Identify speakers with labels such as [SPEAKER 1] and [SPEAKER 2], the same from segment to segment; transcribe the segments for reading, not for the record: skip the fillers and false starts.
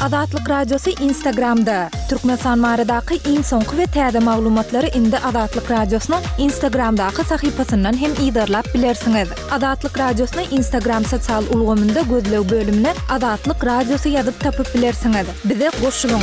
[SPEAKER 1] Azatlyk Radiosy Instagramda! Türkmenistan baradaky iň soňky we täze maglumatlary indi Azatlyk Radiosynyň Instagramdaky sahypasyndan hem yzarlap bilersiňiz. Azatlyk Radiosyny Instagram sosial ulgamynda gözleg bölümine Azatlyk Radiosy ýazyp tapyp bilersiňiz. Bize goşulyň!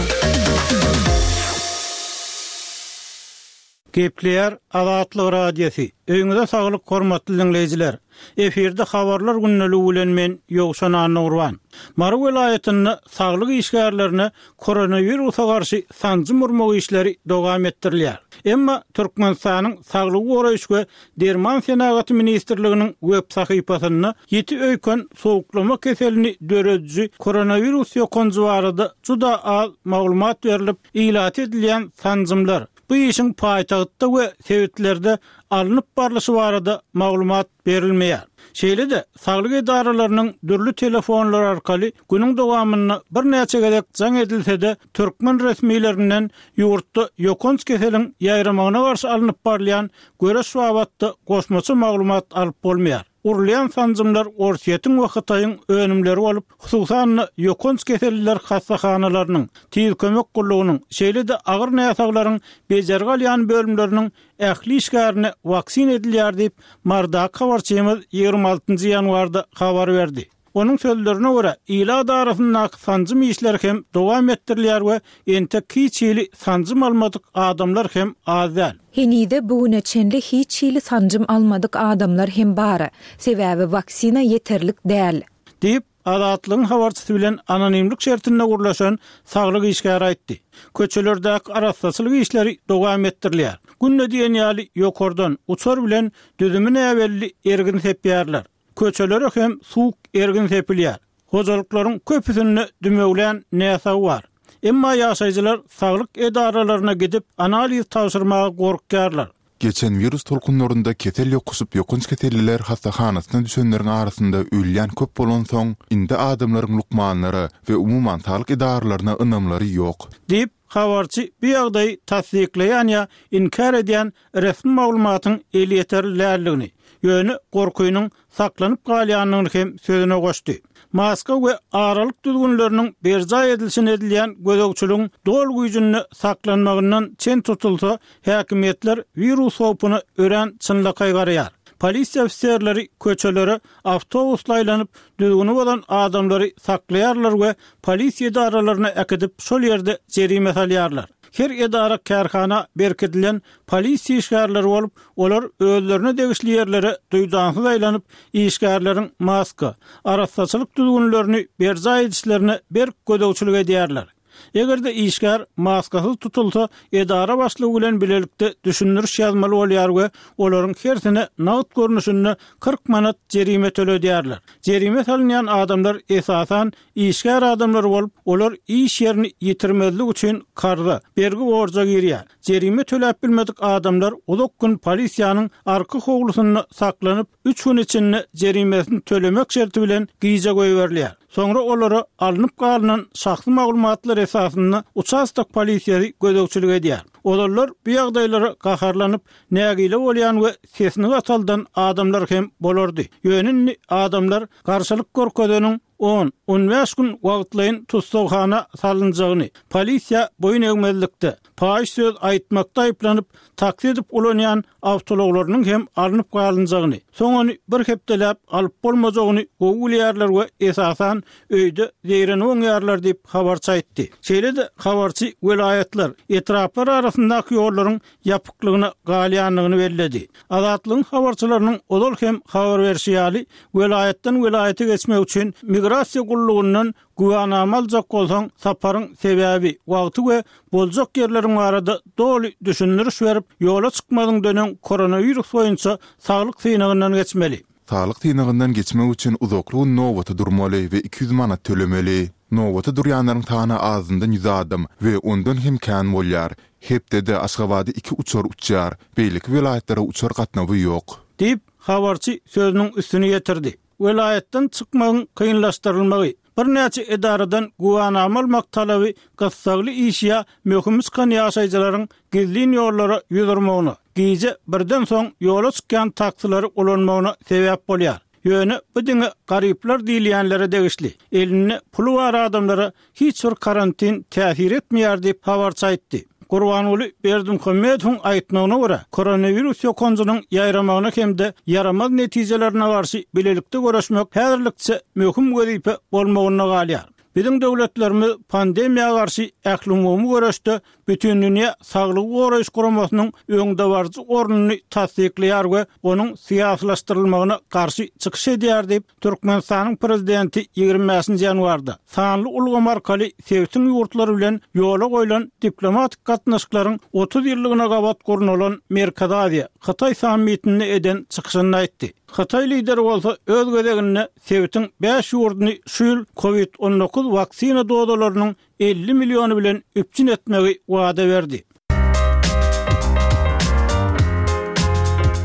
[SPEAKER 2] Gepleýär Azatlyk Radiosy. Öýüňize saglyk hormatly diňleýjiler. Efirde habarlar gündeligi bilen men Ýowşan Annagurban. Mary welaýatynda saglyk işgärlerine koronawirusa garşy sanjym urmak işleri dowam etdirilýär. Emma Türkmenistanyň Saglygy goraýyş we derman senagaty ministrliginiň web sahypasynda ýiti öýken sowuklama keselini dörediji koronawirus ýokanjy barada juda az maglumat berlip, ilata edilýän sanjymlar, Bu işiň paýtagtda we sebitlerde alnyp barlyşy barada maglumat berilmeýär. Şeýle-de, saglyk edaralarynyň dürli telefonlary arkaly günüň dowamynda birnäçe gezek jaň edilse-de, türkmen resmilerinden ýurtda ýokanç keseliň ýaýramagyna garşy alnyp barylýan göreş babatda goşmaça maglumat alyp bolmaýar. Urulýan sanjymlar Orsýetiň we Hytaýyň önümleri bolup, hususan-da, ýokanç keselliler hassahanalarynyň, tiz kömek gullugynyň, şeýle-de agyr näsaglaryň bejergi alýan bölümleriniň ähli işgärine waksina edilýär diýip, Marydaky habarçymyz 26 ýanwarda habar berdi. Onuň sözlerine görä, ilat arasyndaky sanjym işleri hem dowam etdirilýär we entek hiç hili sanjym almadyk adamlar hem az däl.
[SPEAKER 1] Henize bu güne çenli hiç hili sanjym almadyk adamlar hem bar. Sebäbi waksina ýeterlik däl.
[SPEAKER 2] Diýip, Azatlygyň habarçysy bilen anonimlik şertinde gürleşen saglyk işgäri aýtdy. Köçelerdäki arassaçylyk işleri dowam etdirilýär. Günde diýen ýaly ýokardan, uçar bilen düzümi näbelli ergin sepýärler. Köçelere hem suwuk ergin sepilýär. Hojalyklaryň köpüsinde dümewlän näsag bar. Emma ýaşaýjylar saglyk edaralaryna gidip, analiz tabşyrmaga gorkýarlar.
[SPEAKER 3] Geçen wirus tolkunlarynda kesel ýokuşyp ýokanç keselliler hassahanasyna düşenleriň arasynda ölýän köp bolansoň, indi adamlaryň lukmanlara we umuman saglyk edaralaryna ynamlary ýok.
[SPEAKER 2] Diýip, habarçy bu ýagdaýy tassyklaýan ýa inkär edýän resmi maglumatyň elýeterli däldigini, ýöne gorkynyň saklanyp galýandygyny hem sözüne goşdy. Maska we aralyk düzgünleriniň berjaý edilişine edilýän gözegçiligiň doly güýjünde saklanmagyndan çen tutulsa, häkimiýetler wirus howpuna örän çynlakaý garaýar. Polisiýa ofiserleri köçelere awtobusla aýlanyp, düzgüni bozan adamlary saklaýarlar we polisiýa edaralaryna äkidip, şol ýerde jerime salýarlar. Her edara-kärhana berkidilen polisiýa işgärleri bolup, olar özlerine degişli ýerlere duýdansyz aýlanyp, işgärleriň maska, arassaçylyk düzgünlerini berjaý edişlerine berk gözegçilik edýärler. Eger-de işgär maskasyz tutulsa, edara başlygy bilen bilelikde düşündiriş ýazmaly bolýar we olaryň hersine nagt görnüşinde 40 manat jerime töledýärler. Jerime salynýan adamlar esasan Işgär adamlar bolup, olar iş ýerini ýitirmezlik üçin karza, bergi-borja girýär. Jerime töläp bilmedik adamlar uzak gün polisiýanyň arka howlusynda saklanyp, üç gün içinde jerimesini tölemek şerti bilen gijä goýberilýär. Soňra olara alnyp galynan şahsy maglumatlar esasynda uçastok polisiýasy gözegçilik edýär. Ozallar bu ýagdaýlara gaharlanyp, nägile bolýan we sesini gataldan adamlar hem bolardy. Ýöne indi adamlar garşylyk görkezeniň On, on bäş gün wagtlaýyn tussaghana salynjagyny, polisiýa boýun egmezlikde, paýyş söz aýtmakda aýyplanyp, taksi edip ulanýan awtoulaglarynyň hem alnyp galynjagyny, soň ony bir hepdeläp alyp bolmajagyny gowy bilýärler we esasan öýde zeýrenip oňýarlar diýip, habarçy aýtdy. Şeýle-de habarçy welaýatlar, etraplar arasyndaky ýollaryň ýapyklygyna galýandygyny belledi. Azatlygyň habarçylarynyň ozal hem habar berşi ýaly, welaýatdan welaýata geçmek üçin migrasiýa gullugyndan güwänama aljak bolsaň, saparyň sebäbi, wagty we boljak ýerleriň barada doly düşündiriş berip, ýola çykmazyňdan öň koronawirus boýunça saglyk synagyndan geçmeli.
[SPEAKER 3] Saglyk synagyndan geçmek üçin uzakly gün nobata durmaly we 200 manat tölemeli. Nobata durýanlaryň sany azyndan ýüz adam we ondan hem kän bolýar. Hepdede Aşgabada iki uçar uçýar, beýleki welaýatlara uçar gatnawy ýok.
[SPEAKER 2] Diýip, habarçy sözüniň üstüni ýetirdi. Welaýatdan çykmagyň kynlaşdyrylmagy, birnäçe edaradan güwänama almak talaby gyssagly iş ýa möhümi çykan ýaşaýjylaryň gizlin ýollara ýüz urmagyna, gije birden soň ýola çykýan taksilary ulanmagyna sebäp bolýar. Ýöne bu diňe garyplar diýilýänlere degişli. Elinde puly bar adamlara hiç bir karantin täsir etmeýär diýip, habarçy aýtdy. Gurbanguly Berdimuhamedowyň aýtmagyna görä, koronawirus ýokanjynyň ýaýramagyna hem-de ýaramaz netijelerine garşy bilelikde göreşmek häzirlikçe möhüm wezipe bolmagynda galýar. Biziň döwletlerimiz pandemiýa garşy ählumumy göreşde Bütindünýä Saglygy Goraýyş Guramasynyň öňdebaryjy ornuny tassyklaýar we onuň syýasylaşdyrylmagyna garşy çykyş edýär diýip, Türkmenistanyň Prezidenti 25-nji ýanwarda sanly ulgam arkaly sebitiň ýurtlary bilen ýola goýlan diplomatik gatnaşyklaryň 30 ýyllygyna gabat gurnalan Merkezi Aziýa, Hytaý sammitinde eden çykyşynda aýtdy. Hytaý lideri bolsa öz gezeginde sebitiň bäş ýurduny şu ýyl Covid 19 waksina dozalarynyň 50 milliony bilen üpjün etmegi wada berdi.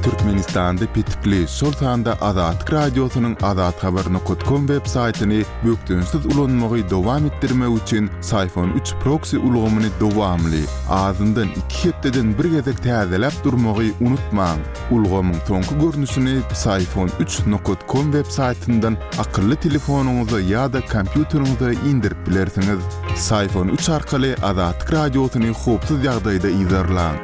[SPEAKER 3] Türkmenistanda petikli, şol sanda Azatlyk Radiosynyň azathabar nokat kom web saýtyny bökdençsiz ulanmagy dowam etdirmek üçin Syfon üç proksi ulgamyny dowamly, azyndan iki hepdeden bir gezek täzeläp durmagy unutmaň. Ulgamyň soňky görnüşini Psiphon üç nokat kom web saýtyndan akylly telefonyňyza ýa-da kompýuteriňize indirip bilersiňiz. Psiphon üç arkaly Azatlyk Radiosyny howpsuz ýagdaýda yzarlaň.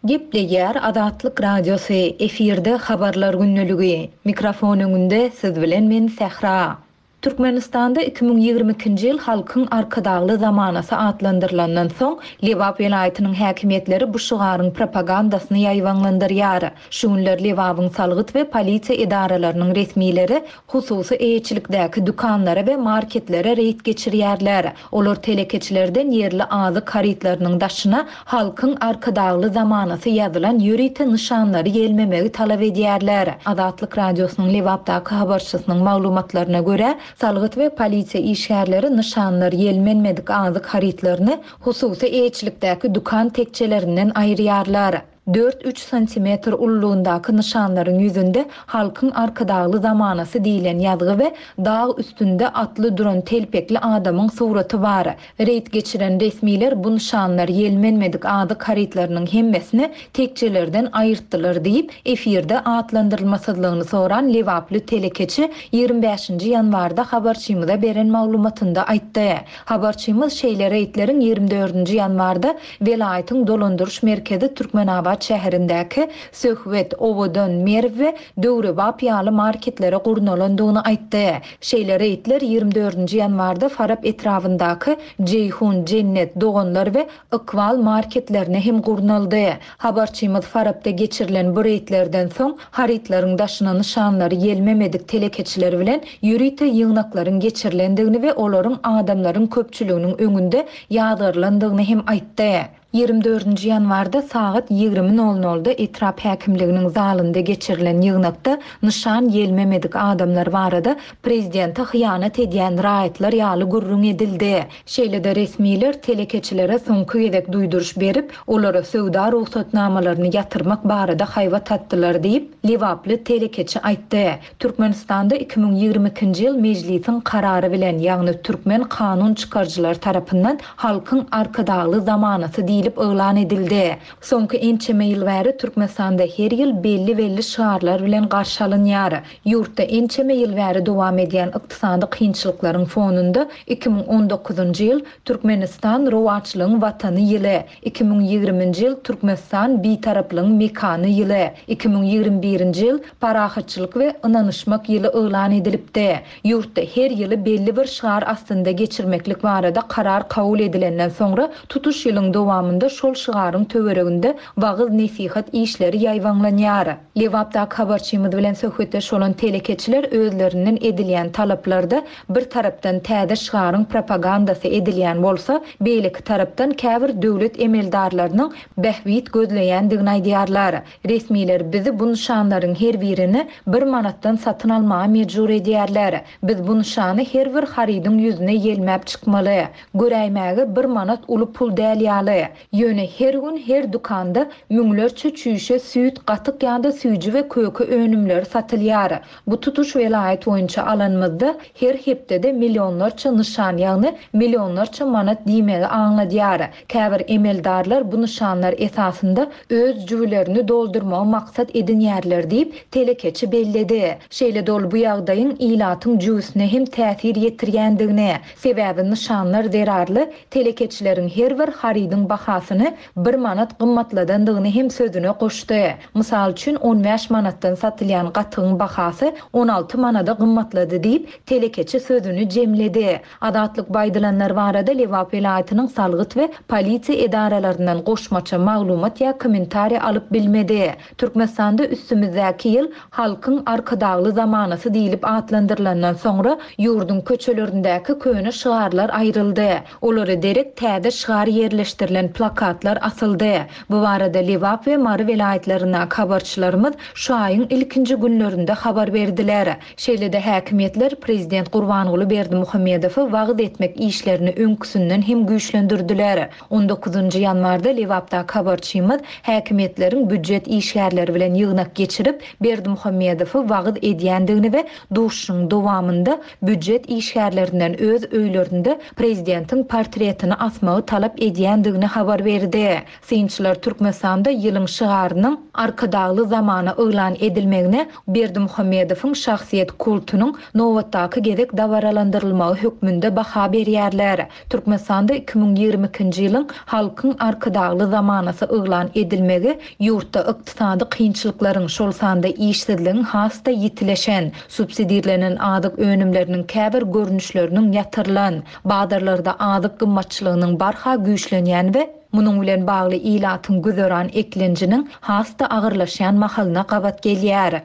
[SPEAKER 1] Gepleýär Azatlyk Radiosy, efirde Habarlar gündeligi. Mikrofon öňünde siz bilen men Sähra. Türkmenistanda 2022-nji ýyl Halkyň Arkadagly zamanasy atlandyrylandan soň, Lebap welaýatynyň häkimiýetleri bu şygaryň propagandasyny ýaýbaňlandyrýar. Şu günler Lebabyň salgyt we polisiýa edaralarynyň resmileri hususy eýeçilikdäki dükanlara we marketlere reýd geçirýärler. Olar telekeçilerden ýerli azyk harytlarynyň daşyna Halkyň Arkadagly zamanasy ýazylan ýörite nyşanlary ýelmemegi talap edýärler. Azatlyk Radiosynyň Lebapdaky habarçysynyň maglumatlaryna görä, salgyt we polisiýa işgärleri nyşanlar ýelmenmedik azyk harytlaryny hususy eýeçilikdäki dükan tekjelerinden aýyrýarlar. Dört-üç santimetr ululygyndaky nyşanlaryň ýüzünde Halkyň Arkadagly zamanasy diýlen ýazgy we dag üstünde atly duran telpekli adamyň suraty bar. Reýd geçiren resmiler bu nyşanlar ýelmenmedik azyk harytlarynyň hemmesini tekjelerden aýyrtdylar diýip, efirde atlandyrylmasyzlygyny soran lebaply telekeçi 25-nji ýanwarda habarçymyza beren maglumatynda aýtdy. Habarçymyz şeýle reýdleriň 24-nji ýanwarda Welaýatyň dolandyryş merkezi Türkmenabat şäherindäki Söhbet, Owadan, Merw we Döwrebap ýaly marketlere gurnalandygyny aýtdy. Şeýle reýdler 24-nji ýanwarda Farap etrabyndaky Jeýhun, Jennet, Doganlar we Ykbal marketlerine hem gurnaldy. Habarçymyz Farapda geçirilen bu reýdlerden soň, harytlaryň daşyna nyşanlary ýelmemedik telekeçiler bilen ýörite ýygnaklaryň geçirilendigini we olaryň adamlaryň köpçüliginiň öňünde ýazgarylandygyny hem aýtdy. 24-nji ýanwarda sagat 20 nol nolda etrap häkimliginiň zalynda geçirilen ýygnakda nyşan ýelmemedik adamlar barada prezidente hyýanat edýän raýatlar ýaly gürrüň edildi. Şeýle-de resmiler telekeçilere soňky gezek duýduryş berip, olara söwda rugsatnamalaryny ýatyrmak barada haýbat atdylar diýip, lebaply telekeçi aýtdy. Türkmenistanda 2022-nji ýyl Mejlisiň karary bilen, ýagny türkmen kanun çykaryjylary tarapyndan Halkyň Arkadagly zamanasy diýlip yglan edildi. Soňky ençeme ýyl bäri Türkmenistanda her ýyl belli-belli şygarlar bilen garşy alynýar. Ýurtda ençeme ýyl bäri dowam edýän ykdysady kynçylyklaryň fonunda 2019-njy ýyl Türkmenistan, rowaçlygyň Watany ýyly, 2020-nji ýyl Türkmenistan, Bitaraplygyň mekany ýyly, 2021-nji ýyl Parahatçylyk we ynanyşmak ýyly yglan edilipdi. Ýurtda her ýyly belli bir şygar astynda geçirmeklik barada karar kabul edilenden soňra tutuş ýylyň dowamynda şol şygaryň töwereginde wagyz-nesihat işleri ýaýbaňlanýar. Lebapdaky habarçymyz bilen söhbetdeş bolan telekeçiler özlerinden edilýän talaplarda bir tarapdan täze şygaryň propagandasy edilýän bolsa, beýleki tarapdan käbir döwlet emeldarlarynyň bähbit gözleýändigini aýdýarlar. Resmiler bizi bu nyşanlaryň her birini bir manatdan satyn almaga mejbur edýärler. Biz bu nyşany her bir harydyň ýüzüne ýelmäp çykmaly. Göräýmäge bir manat uly pul däl ýaly. Ýöne her gün her dükanda müňlerçe çüýşe süýt, gatyk ýa-da süýji we köke önümleri satylýar. Bu tutuş welaýat boýunça alanymyzda, her hepdede millionlarça nyşan, ýagny millionlarça manat diýmegi aňladýar. Käbir emeldarlar bu nyşanlar esasynda öz jübülerini doldurmagy maksat edinýärler diýip, telekeçi belledi. Şeýle-de ol bu ýagdaýyň ilatyň jübüsine hem täsir ýetirýändigini, sebäbi nyşanlar zerarly telekeçileriň her bir harydyň bahasyny bir manat gymmatladandygyny hem sözüne goşdy. Mysal üçin, 15 manatdan satylýan gatygyň bahasy 16 manada gymmatlady diýip, telekeçi sözüni jemledi. Azatlyk bu aýdylanlar barada Lebap welaýatynyň salgyt we polisiýa edaralaryndan goşmaça maglumat ýa kommentariý alyp bilmedi. Türkmenistanda üstümizdäki ýyl Halkyň Arkadagly zamanasy diýlip atlandyrylandan soňra, ýurduň köçelerindäki köne şygarlar aýryldy. Olara derek täze şygar ýerleşdirilen plakatlar asyldy. Bu barada Lebap we Mary welaýatlaryndaky habarçylarymyz şu aýyň ilkinji günlerinde habar berdiler. Şeýle-de häkimiýetler prezident Gurbanguly Berdimuhamedowy wagyz etmek işlerini öňküsinden hem güýçlendirdiler. On dokuzynjy ýanwarda Lebapdaky habarçymyz häkimiýetleriň býujet işgärleri bilen ýygnak geçirip, Berdimuhamedowy wagyz edýändigini we duşuşygyň dowamynda býujet işgärlerinden öz öýlerinde prezidentiň portretini asmagy talap edýändigini habar berdi. Synçylar Türkmenistanda ýylyň şygarynyň Arkadagly zamana yglan edilmegine Berdimuhamedowyň şahsyýet kultunyň nobatdaky gezek dabaralandyrylmagy hökmünde baha berýärler. Türkmenistanda 2022-nji ýylyň Halkyň Arkadagly zamanasy yglan edilmegi ýurtda ykdysady kynçylyklaryň, şol sanda işsizligiň has-da ýitileşen, subsidirlenen azyk önümleriniň käbir görnüşleriniň ýatyrylan, bazarlarda azyk gymmatçylygynyň barha güýçlenýän we munuň bilen bagly ilatyň güzeran eklenjiniň has-da agyrlaşýan mahalyna gabat gelýär.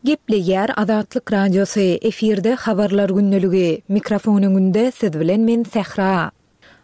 [SPEAKER 1] Gepleýär Azatlyk Radiosy, efirde Habarlar gündeligi. Mikrofon öňünde siz bilen men Sähra.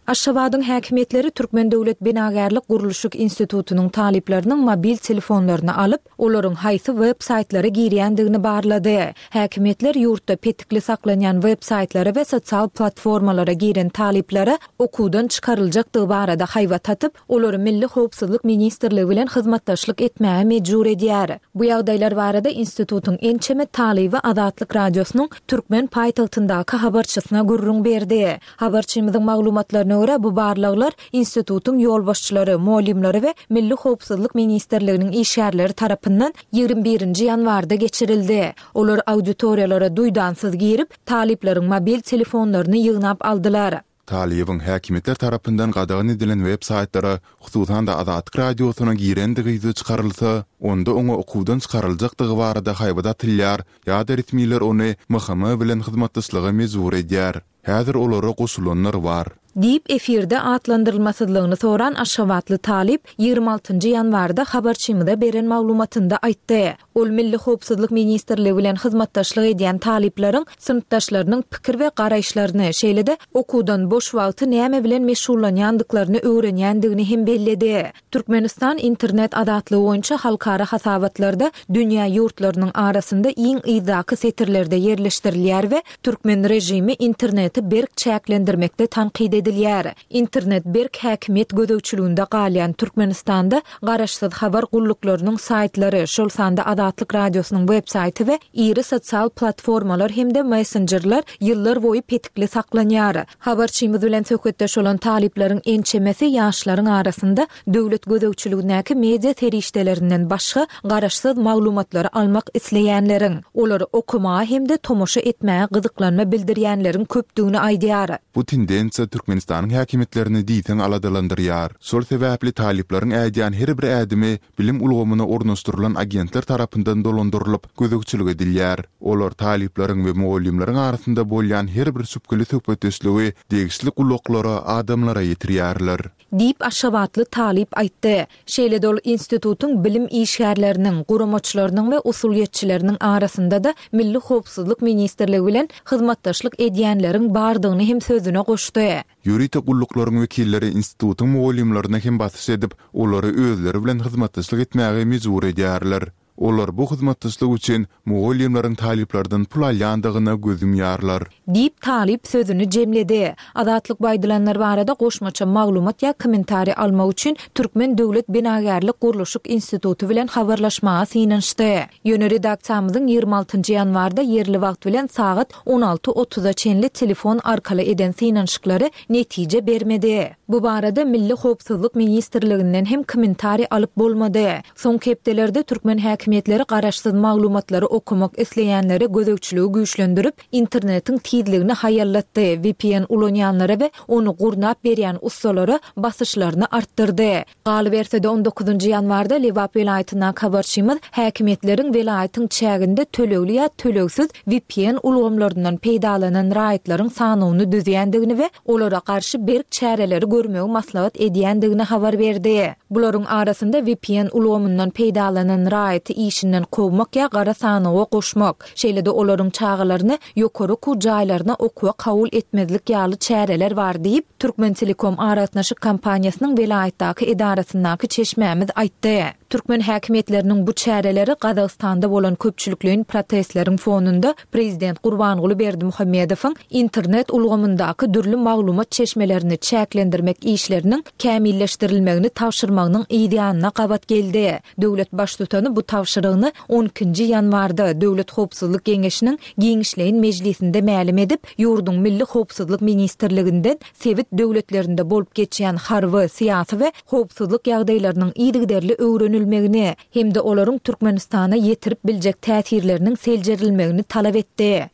[SPEAKER 1] Aşgabadyň häkimiýetleri Türkmen döwlet binagärlik-gurluşyk institutynyň talyplarynyň mobil telefonlaryny alyp, olaryň haýsy web saýtlara girýändigini barlady. Häkimiýetler ýurtda petikli saklanýan web saýtlara we sosial platformalara giren talyplara okuwdan çykaryljakdygy barada haýbat atyp, olary Milli howpsuzlyk ministrligi bilen hyzmatdaşlyk etmäge mejbur edýär. Bu ýagdaýlar barada institutyň ençeme talyby Azatlyk Radiosynyň türkmen paýtagtyndaky habarçysyna gürrüň berdi. Habarçymyzyň maglumatlaryna görä, bu barlaglar institutyň ýolbaşçylary, mugallymlary we Milli howpsuzlyk ministrliginiň işgärleri tarapyndan 21 nji ýanwarda geçirildi. Olar auditoriýalara duýdansyz girip, talyplaryň mobil telefonlaryny ýygnap aldylar.
[SPEAKER 3] Talybyň häkimiýetler tarapyndan gadagan edilen web-saýtlara, hususan-da Azatlyk Radiosyna girendigi ýüze çykarylsa, onda oňa okuwdan çykaryljakdygy barada haýbat atylýar ýa-da resmiler ony MHM bilen hyzmatdaşlyga mejbur edýär. Häzir olara goşulanlar bar.
[SPEAKER 1] Diýip, efirde atlandyrylmasyzlygyny soran aşgabatly talyp 26 nji ýanwarda habarçymyza beren maglumatynda aýtdy. Ol Milli howpsuzlyk ministrligi bilen hyzmatdaşlyk edýän talyplaryň synpdaşlarynyň pikir we garaýyşlaryny, şeýle-de okuwdan boş wagty näme bilen meşgullanýandyklaryny öwrenýändigini hem belledi. Türkmenistan internet azatlygy boýunça halkara hasabatlarda dünýä ýurtlarynyň arasynda iň yzdaky setirlerde ýerleşdirilýär we türkmen režimi interneti berk çäklendirmekde tankyt edilýär. Internet berk häkimiýet gözegçiliginde galýan Türkmenistanda garaşsyz habar gulluklarynyň saýtlary, şol sanda Azatlyk Radiosynyň web-saýty we iri sosial platformalar hem-de messenjerler ýyllar boýy petikli saklanýar. Habarçymyz bilen söhbetdeş bolan talyplaryň ençemesi ýaşlaryň arasynda döwlet gözegçiligindäki media serişdelerinden başga garaşsyz maglumatlary almak isleýänleriň, olary okamaga hem-de tomaşa etmäge gyzyklanma bildirýänleriň köpdügini aýdýar.
[SPEAKER 3] Bu tendensiýa Türkmenistanyň häkimiýetlerini diýseň aladalandyrýar. Şol sebäpli talyplaryň ädýän her bir ädimi bilim ulgamyna ornaşdyrylan agentler tarapyndan dolandyrylyp, gözegçilik edilýär. Olar talyplaryň we mugallymlaryň arasynda bolýan her bir şübheli söhbetdeşligi degişli gulaklara, adamlara ýetirýärler.
[SPEAKER 1] Diýip, aşgabatly talyp aýtdy. Şeýle-de ol institutyň bilim işgärleriniň, guramaçylarynyň we usulyýetçileriniň arasynda-da Milli howpsuzlyk ministrligi bilen hyzmatdaşlyk edýänleriň bardygyny hem sözüne goşdy.
[SPEAKER 3] Ýörite gulluklaryň wekilleri institutyň mugallymlaryna hem basyş edip, olary özleri bilen hyzmatdaşlyk etmäge mejbur edýärler. Olar bu hyzmatdaşlyk üçin mugallymlaryň talyplardan pul alýandygyna göz ýumýarlar.
[SPEAKER 1] Diýip, talyp sözüni jemledi. Azatlyk bu aýdylanlar barada goşmaça maglumat ýa kommentariý almak üçin Türkmen döwlet binagärlik-gurluşyk instituty bilen habarlaşmaga synanyşdy. Ýöne redaksiýamyzyň 26 ýanwarda ýerli wagt bilen sagat 16 otuza çenli telefon arkaly eden synanyşyklary netije bermedi. Bu barada Milli howpsuzlyk ministrliginden hem kommentariý alyp bolmady. Soňky hepdelerde türkmen häkimiýetleri garaşsyz maglumatlary okamak isleýänlere gözegçiligi güýçlendirip, internetiň tizligini haýallatdy, vpn ulanýanlara we ony gurnap berýän ussalara basyşlaryny artdyrdy. Galyberse-de, on dokuzynjy ýanwarda Lebap welaýatyndaky habarçymyz häkimiýetleriň welaýatyň çäginde tölegli ýa tölegsiz vpn ulgamlaryndan peýdalanan raýatlaryň sanawyny düzýändigini we olara garşy berk çäreleri görmegi maslahat edýändigini habar berdi. Bularyň arasynda vpn ulgamyndan peýdalanan raýaty işinden kowmak ýa gara sanawa goşmak, şeýle-de olaryň çagalaryny ýokary okuw jaýlaryna okuwa kabul etmezlik ýaly çäreler bar diýip, Türkmentelekom aragatnaşyk kompaniýasynyň welaýatdaky edarasyndaky çeşmämiz aýtdy. Türkmen häkimiýetleriniň bu çäreleri Gazagystanda bolan köpçülikleýin protestleriň fonunda prezident Gurbanguly Berdimuhamedowyň internet ulgamyndaky dürli maglumat çeşmelerini çäklendirmek işleriniň kämilleşdirilmegini tabşyrmagynyň yzýanyna gabat geldi. Döwlet Baştutany bu tabşyrygyny on ikinji ýanwarda Döwlet howpsuzlyk geňeşiniň giňişleýin mejlisinde mälim edip, ýurduň Milli howpsuzlyk ministrliginden sebit döwletlerinde bolup geçýän harby, syýasy we howpsuzlyk ýagdaýlarynyň yzygiderli öwrenilmegini hem-de olaryň Türkmenistana ýetirip biljek täsirleriniň seljerilmegini talap etdi.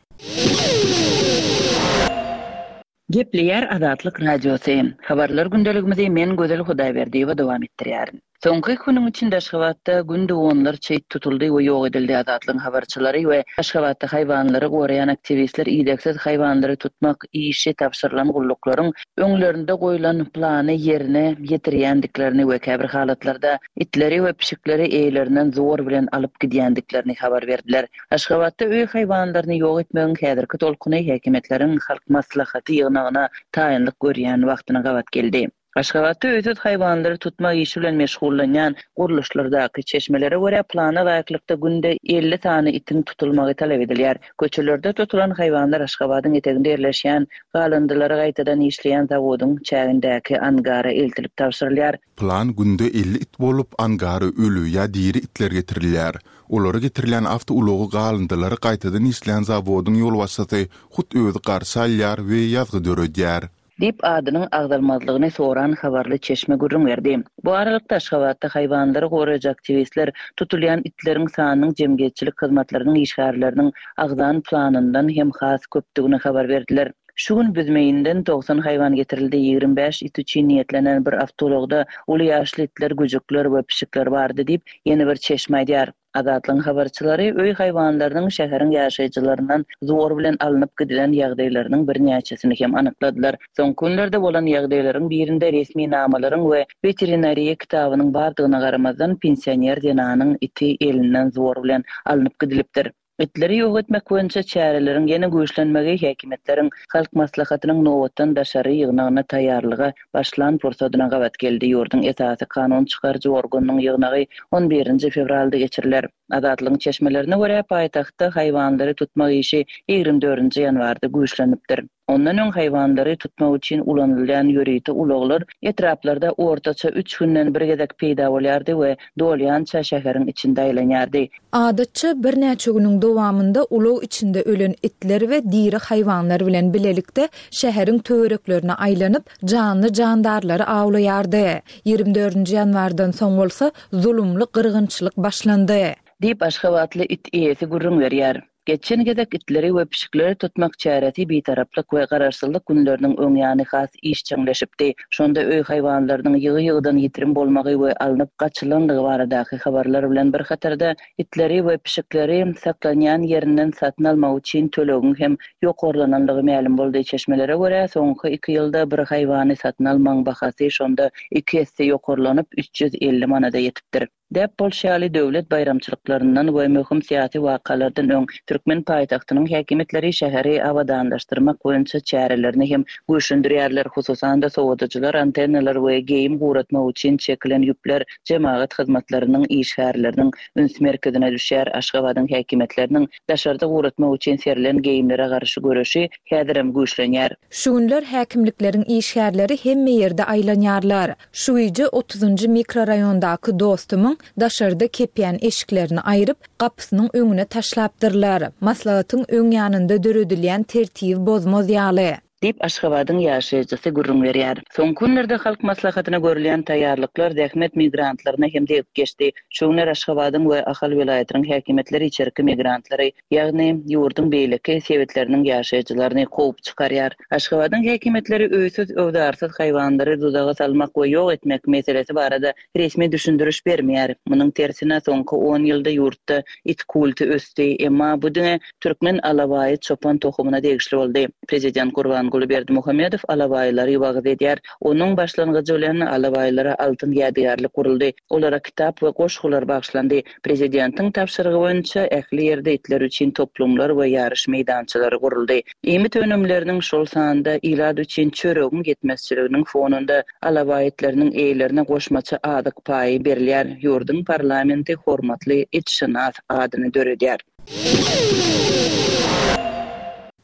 [SPEAKER 4] Gepleýär Azatlyk Radiosy. Habarlar gündeligimizi men Gözel Hudaýberdiýewa dowam etdirýärin. Soňky iki günüň içinde Aşgabatda günde onlarça it tutuldy we ýok edildi. Azatlygyň habarçylary we Aşgabatda haýwanlary goraýan aktiwistler idegsiz haýwanlary tutmak işi tabşyrylan gulluklaryň öňlerinde goýlan plany ýerine ýetirýändiklerini we käbir halatlarda itleri we pişikleri eýelerinden zor bilen alyp gidýändiklerini habar berdiler. Aşgabatda öý haýwanlaryny ýok etmegiň häzirki tolkuny häkimiýetleriň Halk Maslahaty ýygnagyna taýynlyk görýän wagtyna gabat geldi. Aşgabatda öýsüz haýwanlary tutmak işi bilen meşgullanýan gurluşlardaky çeşmelere görä, plana laýyklykda günde 50 sany itiň tutulmagy talap edilýär. Köçelerde tutulan haýwanlar Aşgabadyň eteginde ýerleşýän galyndylary gaýtadan işleýän zawodyň çägindäki angara eltilip tabşyrylýar.
[SPEAKER 3] Plan günde 50 it bolup, angara öli ýa diri itler getirilýär. Olary getirilýän awtoulagy galyndylary gaýtadan işleýän zawodyň ýolbaşçysy hut özi garşy alýar we ýazgy döredýär.
[SPEAKER 4] Diýip, adynyň agzalmazlygyny soran habarly çeşme gürrüň berdi. Bu aralykda, Aşgabatda haýwanlary goraýjy aktiwistler tutulýan itleriň sanynyň jemgyýetçilik hyzmatlarynyň işgärleriniň agzan planyndan hem has köpdügini habar berdiler. Şu gün Büzmeýinden 90 haýwan getirildi, 25 it üçin niýetlenen bir awtoulagda uly ýaşly itler, güjükler we pişikler bardy diýip, ýene bir çeşme aýdýar. Azatlygyň habarçylary öý haýwanlarynyň şäheriň ýaşaýjylaryndan zor bilen alnyp gidilen ýagdaýlarynyň birnäçesini hem anykladylar. Soňky günlerde bolan ýagdaýlaryň birinde resminamalaryň we weterinariýa kitabynyň bardygyna garamazdan, pensioner zenanyň iti elinden zor bilen alnyp gidilipdir. Itleri ýok etmek boýunça çäreleriň ýene güýçlenmegi häkimiýetleriň Halk Maslahatynyň nobatdan daşary ýygnagyna taýýarlyga başlan pursadyna gabat geldi. Ýurduň esasy kanun çykaryjy organynyň ýygnagy on birinji fewralda geçiriler. Azatlygyň çeşmelerine görä, paýtagtda haýwanlary tutmak işi 24-nji ýanwarda güýçlenipdir. Ondan öň haýwanlary tutmak üçin ulanylýan ýörite ulaglar etraplarda ortaça üç günden bir gezek peýda bolýardy we dolýança şäheriň içinde aýlanýardy.
[SPEAKER 1] Adatça, birnäçe günüň dowamynda ulag içinde ölen itler we diri haýwanlar bilen bilelikde şäheriň töwereklerine aýlanyp, janly-jandarlary awlaýardy. 24-nji ýanwardan soň bolsa zulumly gyrgynçylyk başlandy.
[SPEAKER 4] Diýip, aşgabatly it eýesi gürrüň berýär. Geçen gezek itleri we pişikleri tutmak çäresi Bitaraplyk we Garaşsyzlyk günleriniň öň ýany has işjeňleşipdi. Şonda öý haýwanlarynyň ýygy-ýygydan ýitirim bolmagy we alnyp gaçylandygy baradaky habarlar bilen bir hatarda, itleri we pişikleri saklanýan ýerinden satyn almak üçin tölegiň hem ýokarlanandygy mälim boldy. Çeşmelere görä, soňky iki ýylda bir haýwany satyn almagyň bahasy şonda iki esse ýokarlanyp, 350 manada ýetipdir. Däp bolşy ýaly, döwlet baýramçylyklaryndan we möhüm syýasy wakalardan öň türkmen paýtagtynyň häkimiýetleri şäheri abadanlaşdyrmak boýunça çärelerini hem güýçlendirýärler. Hususan-da, sowadyjylar, antennalar we geýim guratmak üçin çekilen ýüpler jemagat hyzmatlarynyň işgärleriniň üns merkezine düşýär. Aşgabadyň häkimiýetleriniň daşarda guratmak üçin serilen geýimlere garşy göreşi häzirem güýçlenýär.
[SPEAKER 1] Şu günler häkimlikleriň işgärleri hemme ýerde aýlanýarlar. Şu gije otuzynjy mikroraýondaky dostumyň daşarda kepýän eşiklerini aýryp, gapysynyň öňüne taşlapdyrlar, maslahatyň öň ýanynda döredilýän tertibi bozmaz ýaly.
[SPEAKER 4] Diýip, Aşgabadyň ýaşaýjysy gürrüň berýär. Soňky günlerde Halk Maslahatyna görülýän taýýarlyklar zähmet migrantlaryna hem degip geçdi. Şu günler Aşgabadyň we Ahal welaýatynyň häkimiýetleri içerki migrantlary, ýagny ýurduň beýleki sebitleriniň ýaşaýjylaryny kowup çykarýar. Aşgabadyň häkimiýetleri öýsüz-öwzarsyz haýwanlary duzaga salmak we ýok etmek meselesi barada resmi düşündiriş bermeýär. Munuň tersine, soňky on ýylda ýurtda it kulty ösdi, emma bu diňe türkmen alabaýy çopan tohumyna degişli boldy. Prezident Gurbanguly Berdimuhamedow alabaýlary wagyz edýär. Onuň başlangyjy bilen alabaýlara altyn ýadygärlik guruldy. Olara kitap we goşgular bagyşlandy. Prezidentiň tabşyrygy boýunça ähli ýerde itler üçin toplumlar we ýaryş meýdançalary guruldy. Iýmit önümleriniň, şol sanda ilat üçin çöregiň ýetmezçiliginiň fonunda alabaý itleriniň eýelerine goşmaça azyk paýy berilýär. Ýurduň parlamenti hormatly itşynas adyny döredýär.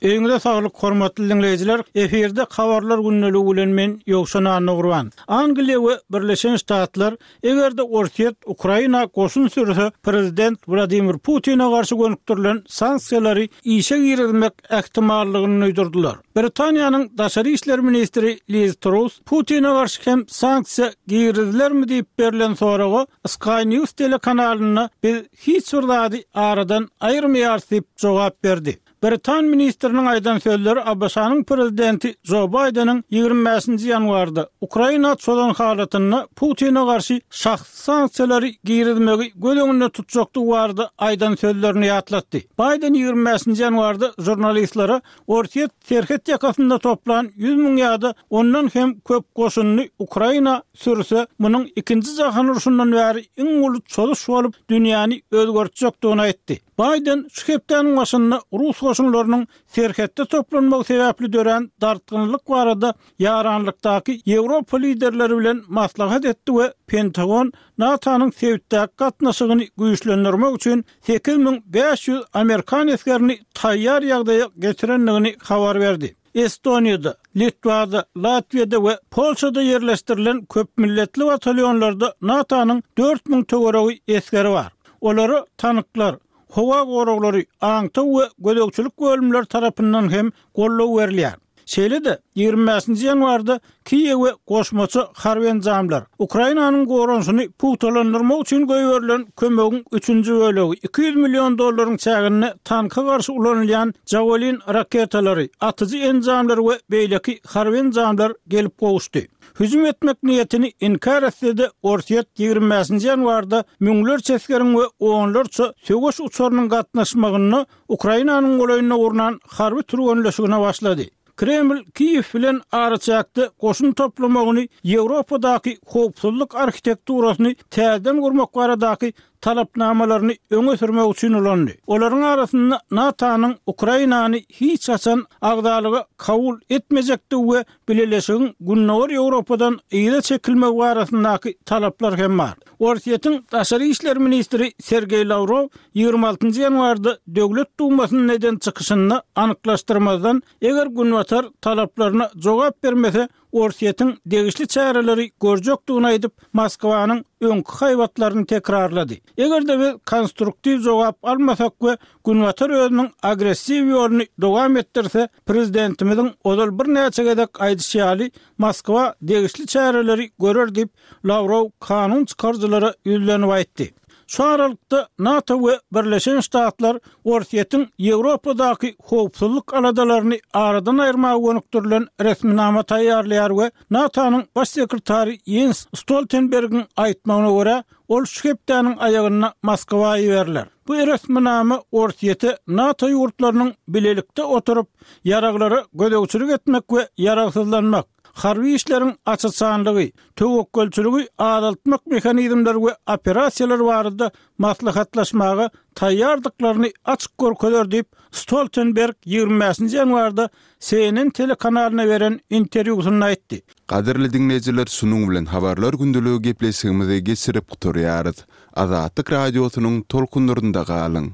[SPEAKER 2] Öýüňize saglyk hormatly diňleýjiler! Efirde Habarlar gündeligi bilen men Ýowşan Annagurban. Angliýa we Birleşen Ştatlar eger-de Orsýet Ukraina goşun sürse prezident Wladimir Putine garşy gönükdirilen sanksiýalary işe girizmek ähtimallygyny duýdurdylar. Britaniýanyň daşary işler ministri Liz Truss Putine garşy hem sanksiýa girizilermi diýip berlen soraga Sky News telekanalynda biz hiç bir zady aradan aýyrmaýarys diýip jogap berdi. Britan ministriniň aýdan sözleri ABŞ-nyň prezidenti Jo Baýdeniň 25-nji ýanwarda Ukraina çozan halatynda Putine garşy şahsy sanksiýalary girizmegi göz öňünde tutjakdygy barada aýdan sözlerini ýatlatdy. Baýden 25-nji ýanwarda žurnalistlere Orsýet serhet ýakasynda toplan 100 müň ýa-da ondan hem köp goşunyny Ukraina sürse, munuň Ikinji jahan urşundan bäri iň uly çozuş bolup, dünýäni özgertjekdigini aýtdy. Baýden şu hepdäniň başynda rus goşunlarynyň serhetde toplanmagy sebäpli dörän dartgynlylyk barada ýaranlykdaky Ýewropa liderleri bilen maslahat etdi we Pentagon NATO-nyň sebitdäki gatnaşygyny güýçlendirmek üçin 8500 amerikan esgerini taýýar ýagdaýa getirendigini habar berdi. Estoniýada, Litwada, Latwiýada we Polşada ýerleşdirilen köpmilletli batalýonlarda NATO-nyň 4000 töweregi esgeri bar. Olara tanklar, howa goraglary, aňtaw we gözegçilik bölümleri tarapyndan hem goldaw berilýär. Şeýle-de, 25-nji ýanwarda Kiýewe goşmaça harby enjamlar, Ukrainanyň goranyşyny pugtalandyrmak üçin goýberilen kömegiň üçünji bölegi, 200 million dollaryň çäginde tanka garşy ulanylýan Javelin raketalary, atyjy enjamlar we beýleki harby enjamlar gelip gowuşdy. Hüjüm etmek niýetini inkär etse-de, Orsýet 25-nji ýanwarda müňlerçe esgeriň we onlarça söweş uçarynyň gatnaşmagynda Ukrainanyň golaýynda gurnan harby türgenleşigine başlady. Kreml Kiýew bilen araçäkde goşun toplamagyny Ýewropadaky howpsuzlyk arhitekturasyny täzeden gurmak baradaky talapnamalaryny öňe sürmek üçin ulandy. Olaryň arasynda NATO-nyň Ukrainany hiç haçan agzalyga kabul etmejekdigi we Bileleşigiň Gündogar Ýewropadan yza çekilmegi barasyndaky talaplar hem bar. Orsýetiň daşary işler ministri Sergeý Lawrow 26 ýanwarda Döwlet Dumasynda eden çykyşynda anyklaşdyrmazdan, eger Günbatar talaplaryna jogap bermese, Orsýetiň degişli çäreleri görjekdigini aýdyp, Moskwanyň öňki haýbatlaryny tekrarlady. Eger-de biz konstruktiw jogap almasak we Günbatar özüniň agressiw ýoluny dowam etdirse, prezidentimiziň ozal birnäçe gezek aýdyşy ýaly, Moskwa degişli çäreleri görer diýip, Lawrow kanun çykaryjylara ýüzlenip aýtdy. Şu aralykda, NATO we Birleşen Ştatlar Orsýetiň Ýewropadaky howpsuzlyk aladalaryny aradan aýyrmaga gönükdirilen resminama taýýarlaýar we NATO-nyň Baş sekretary Ýens Stoltenbergiň aýtmagyna görä, ol şu hepdäniň aýagynda Moskwa iberiler. Bu resminama Orsýete NATO ýurtlarynyň bilelikde oturyp, ýaraglara gözegçilik etmek we ýaragsyzlanmak, Harby işleriň aç-açanlygy, töwekgelçiligi azaltmak mehanizmleri we operasiýalar barada maslahatlaşmaga taýýardyklaryny açyk görkezer diýip, Stoltenberg 25-nji ýanwarda CNN telekanalyna beren interwýusynda aýtdy.
[SPEAKER 3] Gadyrly diňleýjiler şunuň bilen Habarlar gündeligi gepleşigimizi geçirip gutarýarys. Azatlyk Radiosynyň tolkunlarynda galyň!